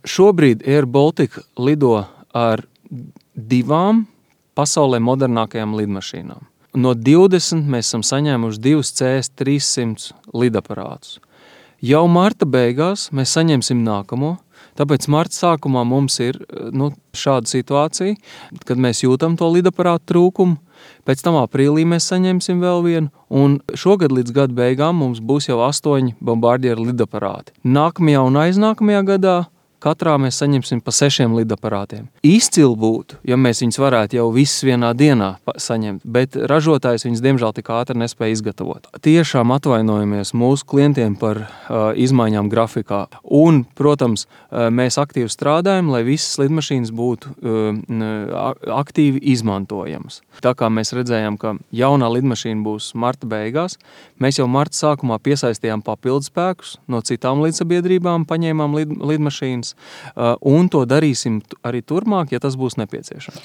Šobrīd Air Baltica lido ar 2 pasaulē modernākajām lidmašīnām. No 20 mēs esam saņēmuši 2 CS-300 lidaparātus. Jau marta beigās mēs saņemsim nākamo, tāpēc marta sākumā mums ir šāda situācija, kad mēs jūtam to lidaparātu trūkumu. Pēc tam aprīlī mēs saņemsim vēl vienu, un šogad līdz gada beigām mums būs jau 8 bombardieru lidaparāti. Nākamajā un aiznākamajā gadā katrā mēs saņemsim pa 6 lidaparātiem. Izcili būtu, ja mēs viņus varētu jau visus vienā dienā saņemt, bet ražotājs viņus diemžēl tik ātri nespēja izgatavot. Tiešām atvainojamies mūsu klientiem par izmaiņām grafikā. Un, protams, mēs aktīvi strādājam, lai visas lidmašīnas būtu aktīvi izmantojamas. Tā kā mēs redzējām, ka jaunā lidmašīna būs marta beigās, mēs jau marta sākumā piesaistījām papildus spēkus no citām līdzsabiedrībām, paņēmām lidmašīnas, un to darīsim arī turpmāk, ja tas būs nepieciešams.